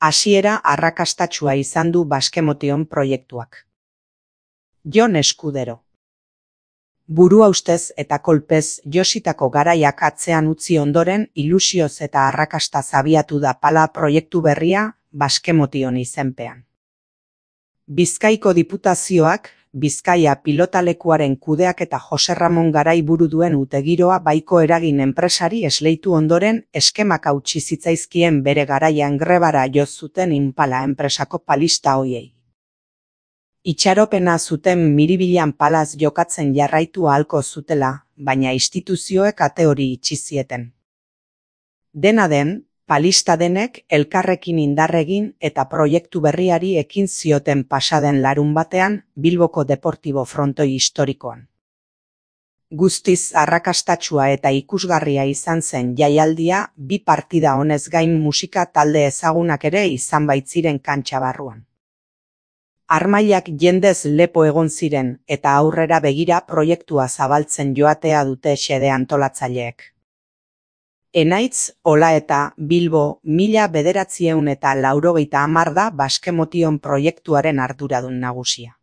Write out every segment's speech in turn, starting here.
hasiera arrakastatsua izan du Baskemotion proiektuak. Jon Eskudero. Burua ustez eta kolpez jositako garaiak atzean utzi ondoren ilusioz eta arrakastaz abiatu da Pala proiektu berria Baskemotion izenpean. Bizkaiko Diputazioak Bizkaia pilotalekuaren kudeaketa Jose Ramon Garai buru duen utegiroa baiko eragin enpresari esleitu ondoren eskemak hautsi zitzaizkien bere garaian grebara jo zuten Impala enpresako palista hoiei. Itxaropena zuten miribilan palaz jokatzen jarraitu ahalko zutela, baina instituzioek ate hori itxi zieten. Dena den, palista denek elkarrekin indarregin eta proiektu berriari ekin zioten pasaden larunbatean Bilboko Deportibo frontoi historikoan. Guztiz arrakastatsua eta ikusgarria izan zen jaialdia, bi partida honez gain musika talde ezagunak ere izan baitziren kantxa barruan. Armailak jendez lepo egon ziren eta aurrera begira proiektua zabaltzen joatea dute xede antolatzaileek. Enaitz, Ola eta Bilbo 1980 da Baskemotion proiektuaren arduradun nagusia.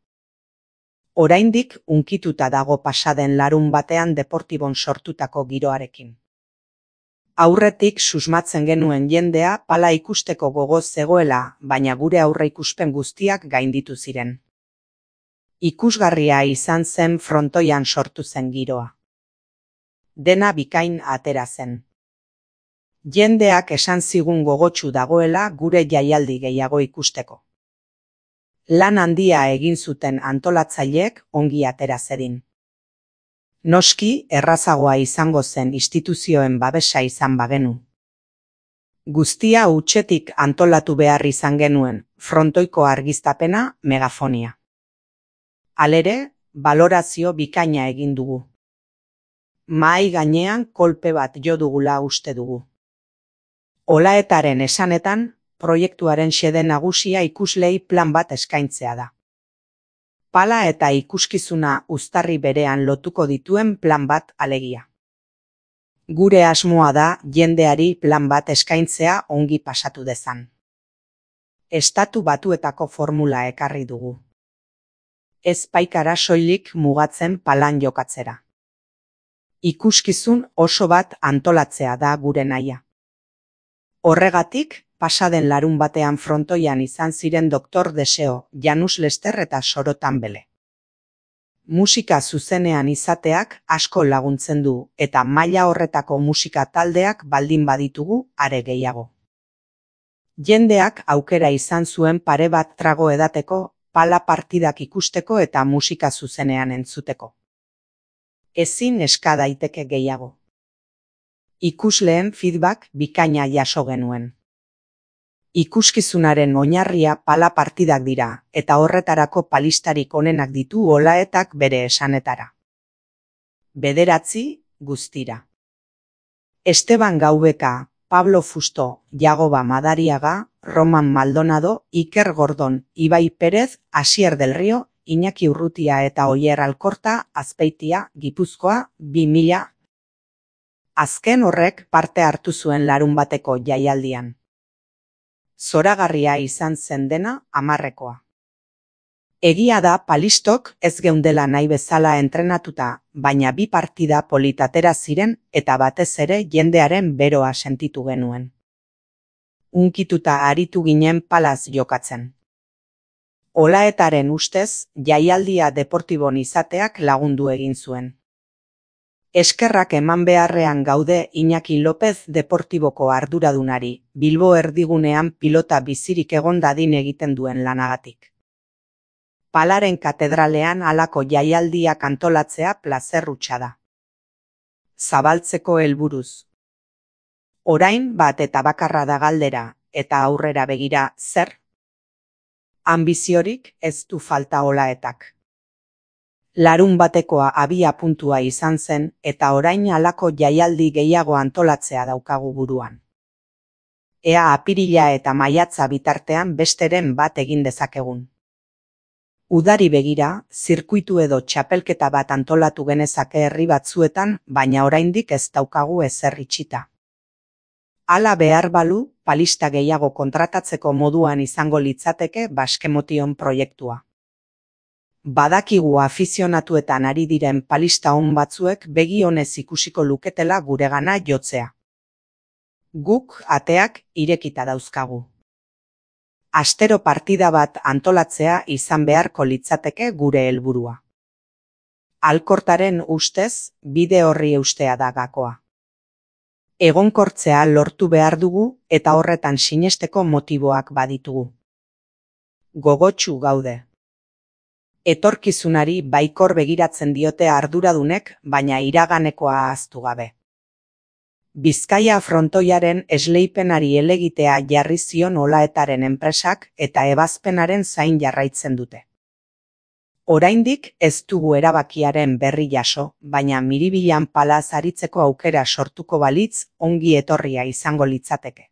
Oraindik unkituta dago pasaden larun batean Deportibon sortutako giroarekin. Aurretik susmatzen genuen jendea Pala ikusteko gogoz zegoela, baina gure aurreikuspen guztiak gainditu ziren. Ikusgarria izan zen frontoian sortu zen giroa. Dena bikain atera zen. Jendeak esan zigun gogotsu dagoela gure jaialdi gehiago ikusteko. Lan handia egin zuten antolatzaileek ongi atera zedin. Noski errazagoa izango zen instituzioen babesa izan bagenu. Guztia hutsetik antolatu behar izan genuen, frontoiko argiztapena, megafonia. Halere, balorazio bikaina egin dugu. Mahai gainean kolpe bat jo dugula uste dugu. Olaetaren esanetan, proiektuaren xede nagusia ikuslei plan bat eskaintzea da. Pala eta ikuskizuna uztarri berean lotuko dituen plan bat alegia. Gure asmoa da jendeari plan bat eskaintzea ongi pasatu dezan. Estatu Batuetako formula ekarri dugu. Ez baikara soilik mugatzen Palan jokatzera. Ikuskizun oso bat antolatzea da gure nahia. Horregatik, pasaden larun batean frontoian izan ziren Dr. Deseo, Janus Lester eta Soro Tambele. Musika zuzenean izateak asko laguntzen du eta maila horretako musika taldeak baldin baditugu are gehiago. Jendeak aukera izan zuen pare bat trago edateko, Pala partidak ikusteko eta musika zuzenean entzuteko. Ezin eska daiteke gehiago. Ikusleen feedback bikaina jaso genuen. Ikuskizunaren oinarria Pala partidak dira, eta horretarako palistarik onenak ditu Olaetak bere esanetara. 9 guztira. Esteban Gaubeka, Pablo Fusto, Jagoba Madariaga, Roman Maldonado, Iker Gordon, Ibai Perez, Asier del Rio, Iñaki Urrutia eta Oier Alkorta, Azpeitia, Gipuzkoa, 2000. Azken horrek parte hartu zuen larun bateko jaialdian. Zoragarria izan zen dena 10-ekoa. Egia da palistok ez geundela nahi bezala entrenatuta, baina bi partida politatera ziren eta batez ere jendearen beroa sentitu genuen. Unkituta aritu ginen Palaz jokatzen. Olaetaren ustez, jaialdia Deportibon izateak lagundu egin zuen. Eskerrak eman beharrean gaude Iñaki López Deportiboko arduradunari, Bilbo erdigunean pilota bizirik egon dadin egiten duen lanagatik. Palaren katedralean halako jaialdiak antolatzea plazer hutsa da. Zabaltzeko helburuz. Orain bat eta bakarra da galdera, eta aurrera begira zer? Anbiziorik ez du falta Olaetak. Larun batekoa abia puntua izan zen eta orain halako jaialdi gehiago antolatzea daukagu buruan. Ea apirila eta maiatza bitartean besteren bat egin dezakegun. Udari begira, zirkuitu edo txapelketa bat antolatu genezake herri batzuetan, baina oraindik ez daukagu ezer itxita. Hala behar balu, palista gehiago kontratatzeko moduan izango litzateke Baskemotion proiektua. Badakigu afizionatuetan ari diren palista on batzuek begi onez ikusiko luketela guregana jotzea. Guk ateak irekita dauzkagu. Astero partida bat antolatzea izan beharko litzateke gure helburua. Alkortaren ustez, bide horri eustea da gakoa. Egonkortzea lortu behar dugu eta horretan sinesteko motiboak baditugu. Gogotsu gaude. Etorkizunari baikor begiratzen diote arduradunek, baina iraganekoa ahaztu gabe. Bizkaia frontoiaren esleipenari helegitea jarri zion Olaetaren enpresak eta ebazpenaren zain jarraitzen dute. Oraindik ez dugu erabakiaren berri jaso, baina Miribilan palaz aritzeko aukera sortuko balitz ongi etorria izango litzateke.